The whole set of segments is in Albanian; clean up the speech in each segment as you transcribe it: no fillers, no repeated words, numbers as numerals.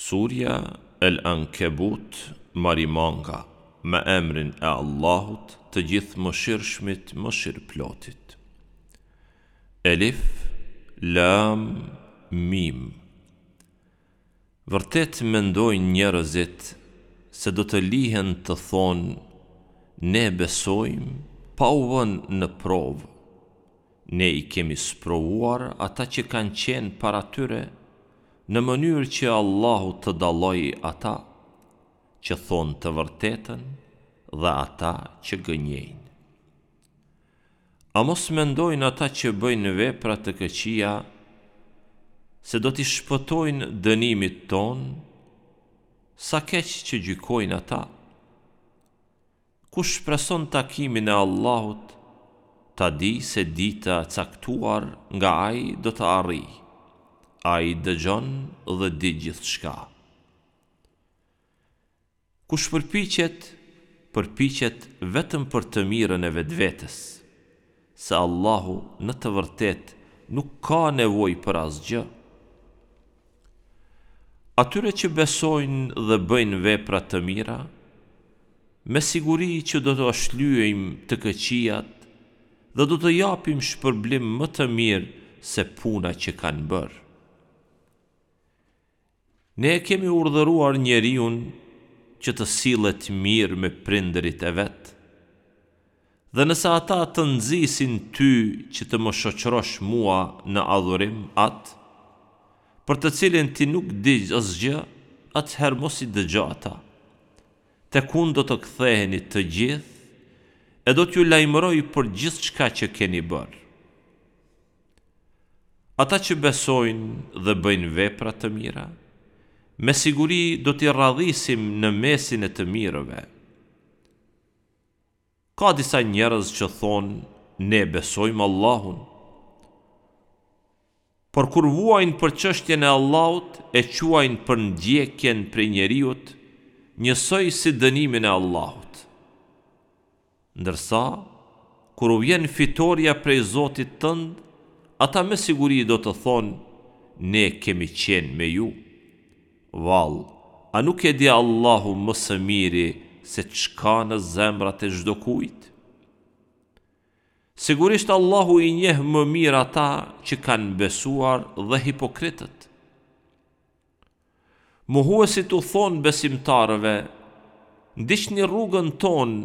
Surja El Ankebut, Marimanga, me emrin e Allahut të Gjithëmëshirshmit Mëshirëplotit. Elif, Lam, Mim. Vërtet mendojnë njerëzit se do të lihen të thonë ne besojmë pa u vënë në provë. Ne i kemi sprovuar ata që kanë qenë para tyre, në mënyrë që Allahu të dallojë ata, që thonë të vërtetën dhe ata që gënjejnë. A mos mendojnë ata që bëjnë vepra të këqija se do t'i shpëtojnë dënimit tonë? Sa keq që gjykojnë ata! Kush shpreson takimin e Allahut, ta dijë se dita e caktuar nga Ai do të arrijë. Ai dëgjon dhe di gjithçka. Kush përpiqet, përpiqet vetëm për të mirën e vetvetes, se Allahu në të vërtetë nuk ka nevojë për asgjë. Atyre që besojnë dhe bëjnë vepra të mira, me siguri që do t'ua shlyejmë të këqijat dhe do t'u japim shpërblim më të mirë se puna që kanë bërë. Ne e kemi urdhëruar njeriun që të sillet mirë me prindërit e vet. Dhe nëse ata të nxisin ty që të më shoqërosh mua në adhurim atë, për të cilin ti nuk di asgjë, atëherë mos i dëgjo ata. Tek unë do të ktheheni të gjithë e do t'ju lajmëroj për gjithçka që keni bërë. Ata që besojnë dhe bëjnë vepra të mira, me siguri do t'i radhisim në mesin e të mirëve. Ka disa njerëz që thonë ne besojmë Allahun. Por kur vuajnë për çështjen e Allahut e quajnë përndjekjen prej njeriut njësoj si dënimin e Allahut. Ndërsa, kur u vjen fitorja prej Zotit tënd, ata me siguri do të thonë, Ne kemi qenë me ju. Vallë, a nuk e di Allahu më së miri se ç'ka në zemrat e çdokujt? Sigurisht Allahu i njeh më mirë ata që kanë besuar dhe hipokritët. Mohuesit u thonë besimtarëve, Ndiqni rrugën tonë,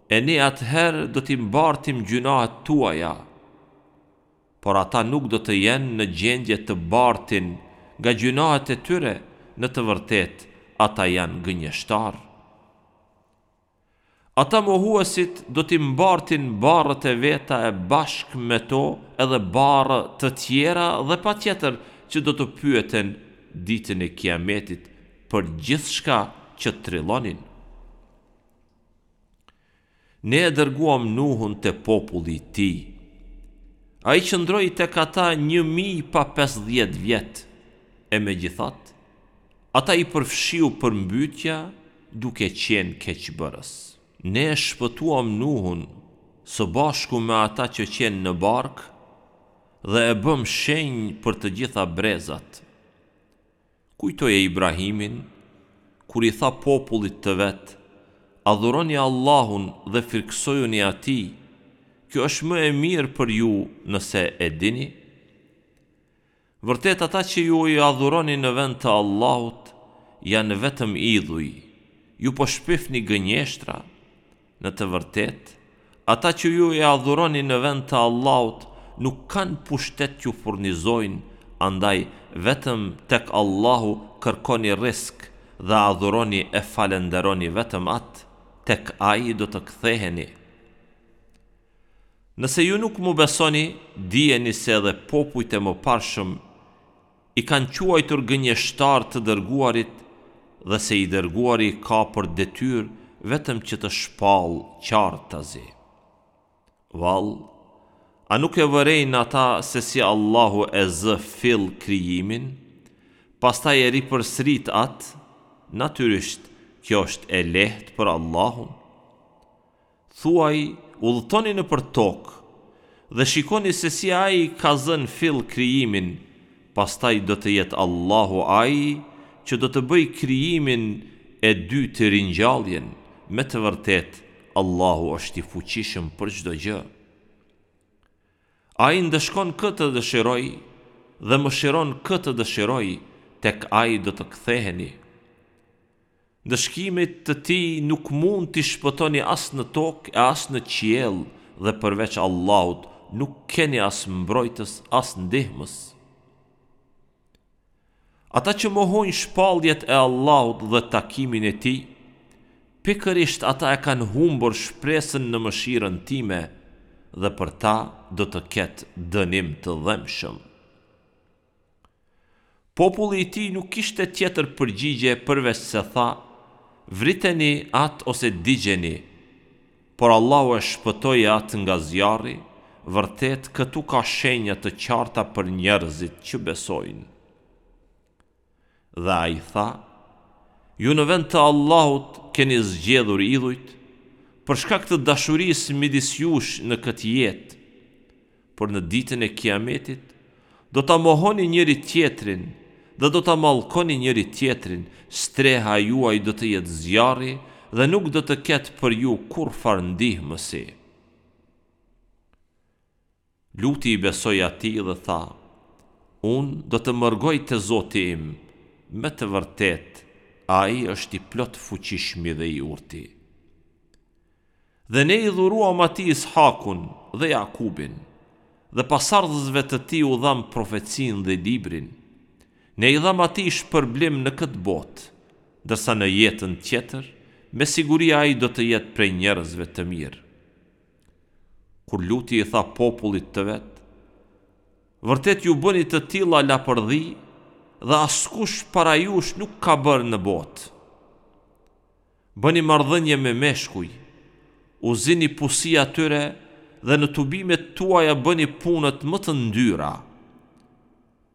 e ne atëherë do t'i mbartim gjynahet tuaja. Por ata nuk do të jenë në gjendje të bartin nga gjynahet e tyre, në të vërtetë ata janë gënjeshtarë. Ata mohuesit do t'i mbartin barrët e veta e bashkë me to edhe barrë të tjera dhe patjetër që do të pyeten Ditën e Kiametit për gjithçka që trillonin. Ne e dërguam Nuhun te populli i tij. Ai qëndroi tek ata 1000 pa 50 vjet, e megjithatë, ata i përfshiu përmbytja duke qenë keqbërës. Ne e shpëtuam Nuhun së bashku me ata që qenë në barkë dhe e bëmë shenjë për të gjitha brezat. Kujtoje Ibrahimin, kur i tha popullit të vet, Adhuroni Allahun dhe frikësojuni Atij, kjo është më e mirë për ju nëse e dini. Vërtet ata që ju i adhuroni në vend të Allahut janë vetëm idhuj, ju po shpifni gënjeshtra. Në të vërtetë, ata që ju i adhuroni në vend të Allahut nuk kanë pushtet t'ju furnizojnë, andaj vetëm tek Allahu kërkoni rrisk dhe adhuroni e falënderoni vetëm Atë, tek Ai do të ktheheni. Nëse ju nuk më besoni, dijeni se edhe popujt e mëparshëm i kanë quajtur gënjeshtarë të dërguarit dhe se i dërguari ka për detyrë vetëm që të shpallë qartazi. Vallë, a nuk e vërejnë ata se si Allahu e zë fill krijimin, pastaj e ripërsërit atë, natyrisht kjo është e lehtë për Allahun. Thuaj, udhëtoni nëpër tokë dhe shikoni se si Ai ka zënë fill krijimin, pastaj do të jetë Allahu Ai që do të bëjë krijimin e dytë ringjalljen, me të vërtetë Allahu është i fuqishëm për çdo gjë. Ai ndëshkon kë të dëshirojë dhe mëshiron kë të dëshirojë, tek Ai do të ktheheni. Ndëshkimit të Tij nuk mund t'i shpëtoni as në tokë e as në qiell dhe përveç Allahut nuk keni as mbrojtës as ndihmës. Ata që mohojnë shpalljet e Allahut dhe takimin e Tij, pikërisht ata e kanë humbur shpresën në mëshirën Time dhe për ta do të ketë dënim të dhembshëm. Populli i tij nuk kishte tjetër përgjigje përveçse tha, Vriteni atë ose digjeni. Por Allahu e shpëtoi atë nga zjarri, vërtet këtu ka shenja të qarta për njerëzit që besojnë. Dhe ai tha, Ju në vend të Allahut keni zgjedhur idhujt, për shkak të dashurisë midis jush në këtë jetë, por në ditën e Kiametit do ta mohoni njëri-tjetrin dhe do ta mallkoni njëri-tjetrin, streha juaj do të jetë zjarri dhe nuk do të ketë për ju kurrfarë ndihmësi. Luti i besoi atij dhe tha, Unë do të mërgoj te Zoti im, me të vërtetë, Ai është i Plotfuqishmi dhe i Urti. Dhe Ne i dhuruam atij Is'hakun dhe Jakubin, dhe pasardhësve të tij u dhamë profecinë dhe Librin. Ne i dhamë atij shpërblim në këtë botë, ndërsa në jetën tjetër, me siguri ai do të jetë prej njerëzve të mirë. Kur Luti i tha popullit të vet, Vërtet ju bëni të tilla lapërdhi dhe askush para jush nuk ka bërë në botë. Bëni marrëdhënie me meshkuj, u zini pusi atyre dhe në tubimet tuaja bëni punët më të ndyra.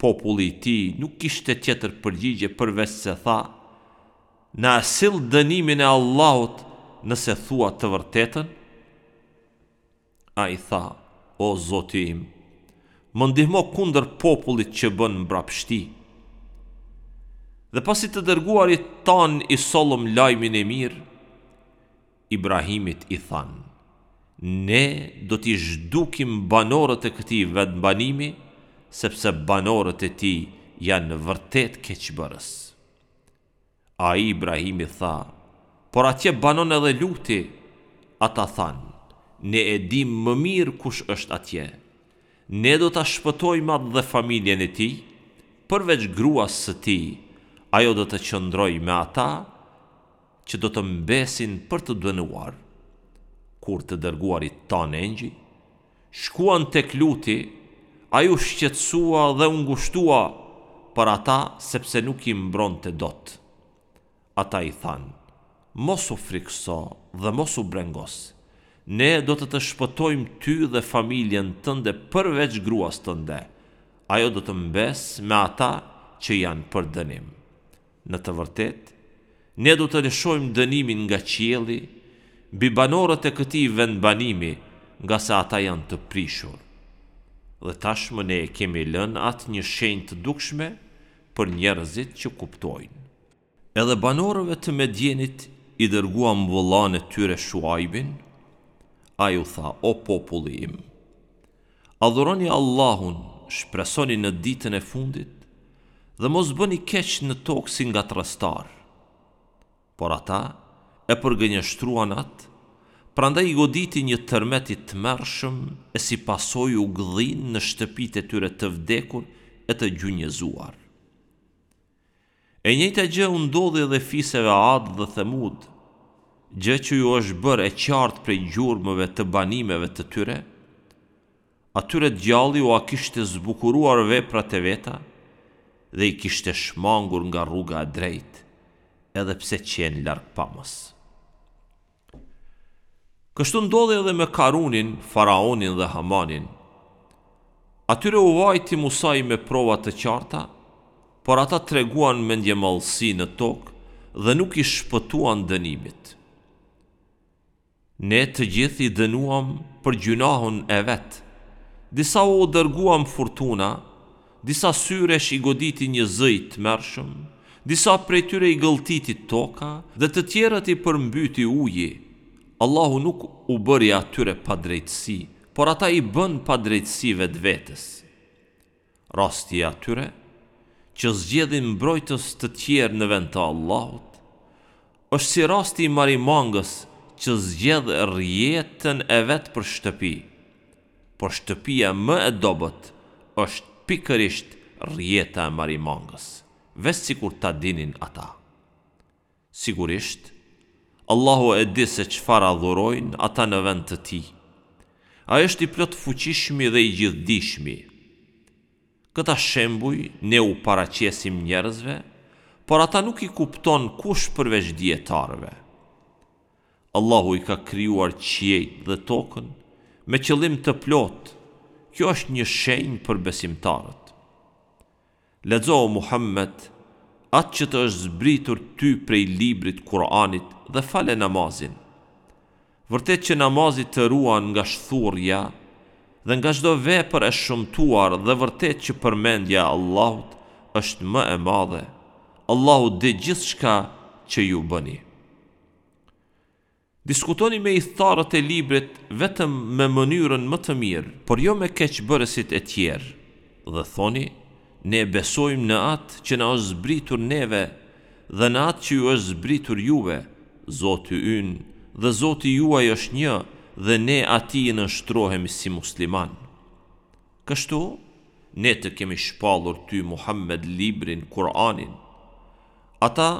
Populli i tij nuk kishte tjetër përgjigje përveçse tha, Na e sill dënimin e Allahut nëse thua të vërtetën? Ai tha, O Zoti im, më ndihmo kundër popullit që bën mbrapshti. Dhe pasi të dërguarit tanë i sollëm lajmin e mirë, Ibrahimit i thanë, Ne do t'i zhdukim banorët e këtij vendbanimi, sepse banorët e tij janë vërtet keqbërës. Ai, Ibrahimi, tha, Por atje banon edhe Luti. Ata thanë, Ne e dimë më mirë kush është atje. Ne do ta shpëtojmë atë dhe familjen e tij, përveç gruas së tij, ajo do të qëndrojë me ata që do të mbesin për të dënuar. Kur të dërguarit tanë engjëj, Shkuan tek Luti, ai u shqetësua dhe u ngushtua për ata sepse nuk i mbronte dot. Ata i thanë, Mos u frikëso dhe mos u brengos, ne do të të shpëtojmë ty dhe familjen tënde përveç gruas tënde, ajo do të mbesë me ata që janë për dënim. Në të vërtetë, Ne do të lëshojmë dënimin nga qielli mbi banorët e këtij vendbanimi, ngase ata janë të prishur. Dhe tashmë ne e kemi lënë atë një shenjë të dukshme për njerëzit që kuptojnë. Edhe banorëve të Medjenit i dërguam vëllanë e tyre Shuajbin, ai u tha, O populli im! Adhuroni Allahun, shpresoni në Ditën e Fundit dhe mos bëni keq në tokë si ngatërrestarë. Por ata e përgënjeshtruan atë, prandaj i goditi një tërmet i tmerrshëm e si pasojë u gdhinë në shtëpitë e tyre të vdekur e të gjunjëzuar. E njëjta gjë u ndodhi edhe fiseve Ad dhe Themud, gjë që ju është bërë e qartë prej gjurmëve të banimeve të tyre, atyre djalli ua kishte zbukuruar veprat e veta dhe i kishte shmangur nga rruga e drejtë, edhe pse qenë largpamës. Kështu ndodhi edhe me Karunin, Faraonin dhe Hamanin. Atyre u vajti Musai me prova të qarta, por ata treguan mendjemadhësi në tokë dhe nuk i shpëtuan dënimit. Ne të gjithë i dënuam për gjynahun e vet. Disa u dërguam furtuna, disa syresh i goditi një zë i tmerrshëm, Disa prej tyre i gëlltiti toka dhe të tjerët i përmbyti uji. Allahu nuk u bëri atyre padrejtësi, por ata i bënë padrejtësi vetvetes. Rasti i atyre, që zgjedhin mbrojtës të tjerë në vend të Allahut, është si rasti i marimangës që zgjedh rrjetën e vet për shtëpi, por shtëpia më e dobët është pikërisht rrjeta e marimangës, veç sikur ta dinin ata. Sigurisht, Allahu e di se çfarë adhurojnë ata në vend të Tij. Ai është i Plotfuqishmi dhe i Gjithëdijshmi. Këta shembuj ne u paraqesim njerëzve, por ata nuk i kupton kush përveç dijetarëve. Allahu i ka krijuar qiejt dhe tokën me qëllim të plotë, kjo është një shenjë për besimtarët. Lexo o Muhammed atë që të është zbritur ty prej librit Kur'anit dhe fale namazin. Vërtet që namazi të ruan nga shthurrja dhe nga çdo vepër e shëmtuar dhe vërtet që përmendja e Allahut është më e madhe, Allahu di gjithçka që ju bëni. Diskutoni me ithtarët e librit vetëm me mënyrën më të mirë, por jo me keqbërësit e tjerë, dhe thoni, Ne besojmë në atë që na është zbritur neve dhe në atë që ju është zbritur juve, Zoti ynë dhe Zoti juaj është një dhe ne Atij i nënshtrohemi si muslimanë. Kështu, Ne të kemi shpallur ty Muhammed librin, Kur'anin. Ata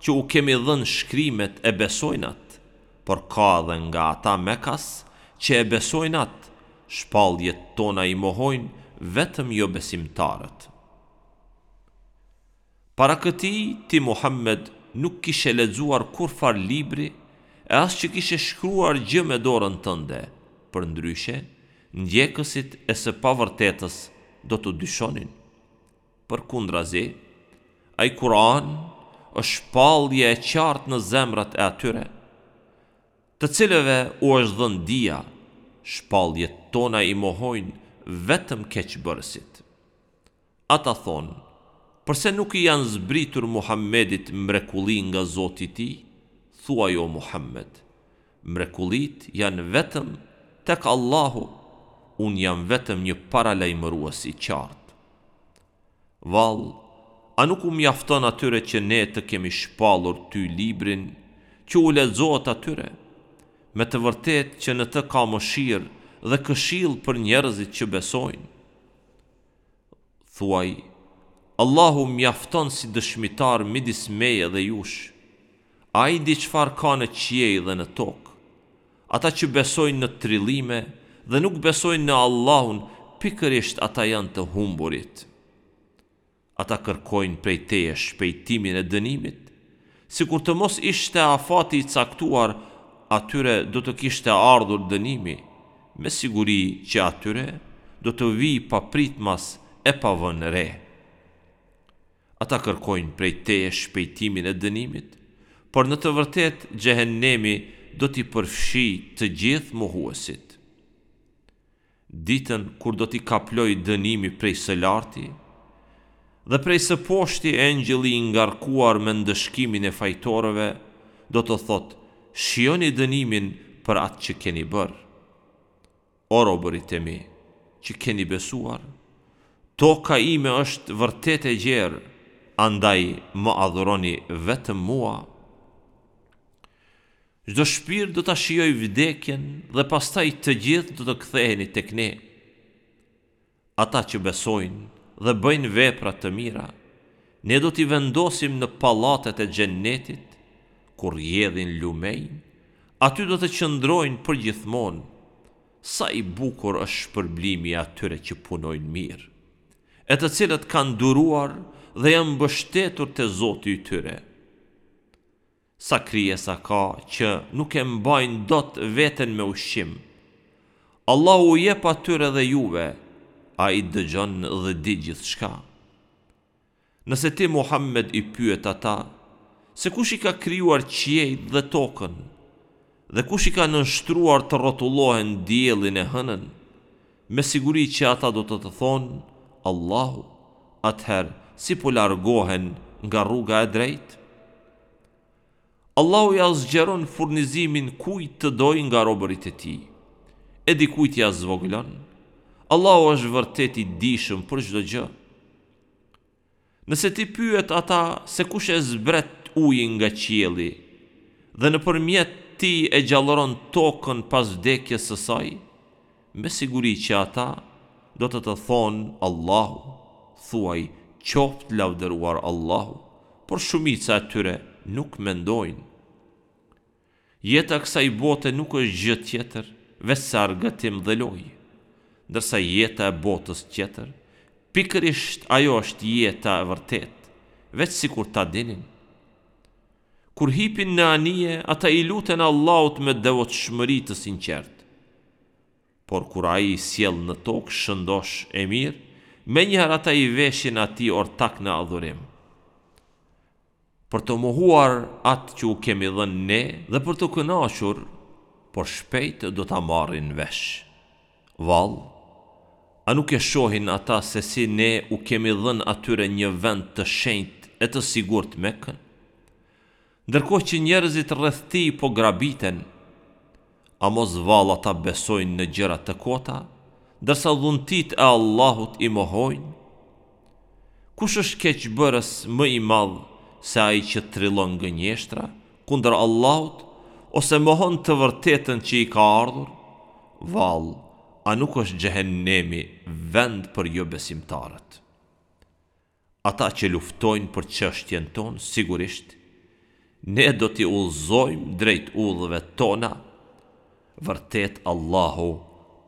që u kemi dhënë shkrimet e besojnë atë, por ka edhe nga ata mekas që e besojnë atë, shpalljet tona i mohojnë vetëm jobesimtarët. Para këtij, ti Muhammed nuk kishe lexuar kurrfarë libri e as që kishe shkruar gjë me dorën tënde, përndryshe, ndjekësit e së pavërtetës do të dyshonin. Përkundrazi, ai Kur'an është shpallje e qartë në zemrat e atyre, të cilëve u është dhënë dija, shpalljet tona i mohojnë vetëm keqbërësit. Ata thonë, Përse nuk i janë zbritur Muhammedit mrekulli nga Zoti i tij? Thuaj o Muhammed, Mrekullitë janë vetëm tek Allahu, unë jam vetëm një paralajmërues i qartë. Vallë, a nuk u mjafton atyre që Ne të kemi shpallur ty Librin, që u lexohet atyre? Me të vërtetë që në të ka mëshirë dhe këshillë për njerëzit që besojnë. Thuaj, Allahu mjafton si dëshmitar midis meje dhe jush. Ai di çfarë ka në qiej dhe në tokë. Ata që besojnë në trillime dhe nuk besojnë në Allahun, pikërisht ata janë të humburit. Ata kërkojnë prej teje shpejtimin e dënimit. Sikur të mos ishte afati i caktuar, atyre do të kishte ardhur dënimi, me siguri që atyre do të vijë papritmas e pa vënë re. Ata kërkojnë prej teje shpejtimin e dënimit, por në të vërtetë Xhehennemi do t'i përfshijë të gjithë mohuesit. Ditën kur do t'i kaplojë dënimi prej së larti, dhe prej së poshti engjëlli i ngarkuar me ndëshkimin e fajtorëve do të thotë, Shijoni dënimin për atë që keni bërë. O robërit e mi, që keni besuar, toka ime është vërtet e gjerë, andaj më adhuroni vetëm mua. Çdo shpirt do ta shijojë vdekjen dhe pastaj të gjithë do të ktheheni tek ne. Ata që besojnë dhe bëjnë vepra të mira, ne do t'i vendosim në pallatet e Xhennetit, ku rrjedhin lumenj, aty do të qëndrojnë përgjithmonë. Sa i bukur është shpërblimi i atyre që punojnë mirë, e të cilët kanë duruar dhe janë mbështetur te Zoti i tyre. Sa krijesa ka që nuk e mbajnë dot veten me ushqim. Allahu u jep atyre dhe juve, Ai dëgjon dhe di gjithçka. Nëse ti Muhammed i pyet ata, se kush i ka krijuar qiejt dhe tokën, dhe kush i ka nënshtruar të rrotullohen diellin e hënën, me siguri që ata do të të thonë, Allahu, atëherë si po largohen nga rruga e drejtë? Allahu ia zgjeron furnizimin kujt të dojë nga robërit e Tij, e dikujt ia zvogëlon. Allahu është vërtet i dijshëm për çdo gjë. Nëse ti pyet ata se kush e zbret ujin nga qielli dhe nëpërmjet tij e gjallëron tokën pas vdekjes së saj, me siguri që ata do të të thonë Allahu, thuaj qoftë lavdëruar Allahu, por shumica e tyre nuk mendojnë. Jeta e kësaj bote nuk është gjë tjetër veçse argëtim dhe lojë, ndërsa jeta e botës tjetër, pikërisht ajo është jeta e vërtetë, veç sikur ta dinin. Kur hipin në anije, ata i luten Allahut me devotshmëri të sinqertë. Por kur Ai i sjell në tokë shëndoshë e mirë, menjëherë ata i veshin Atij ortak në adhurim. Për të mohuar atë që u kemi dhënë Ne dhe për t'u kënaqur, por shpejt do ta marrin vesh. Vallë, a nuk e shohin ata se si Ne u kemi dhënë atyre një vend të shenjtë e të sigurt Mekën? Ndërkohë që njerëzit rreth tij po grabiten, a mos vallë ata besojnë në gjëra të kota, ndërsa dhuntitë e Allahut i mohojnë? Kush është keqbërës më i madh se ai që trillon gënjeshtra kundër Allahut ose mohon të vërtetën që i ka ardhur? Vallë, a nuk është Xhehennemi vend për jobesimtarët? Ata që luftojnë për çështjen tonë, sigurisht, Ne do t'i udhëzojmë drejt udhëve Tona, vërtet Allahu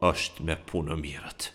është me punëmirët.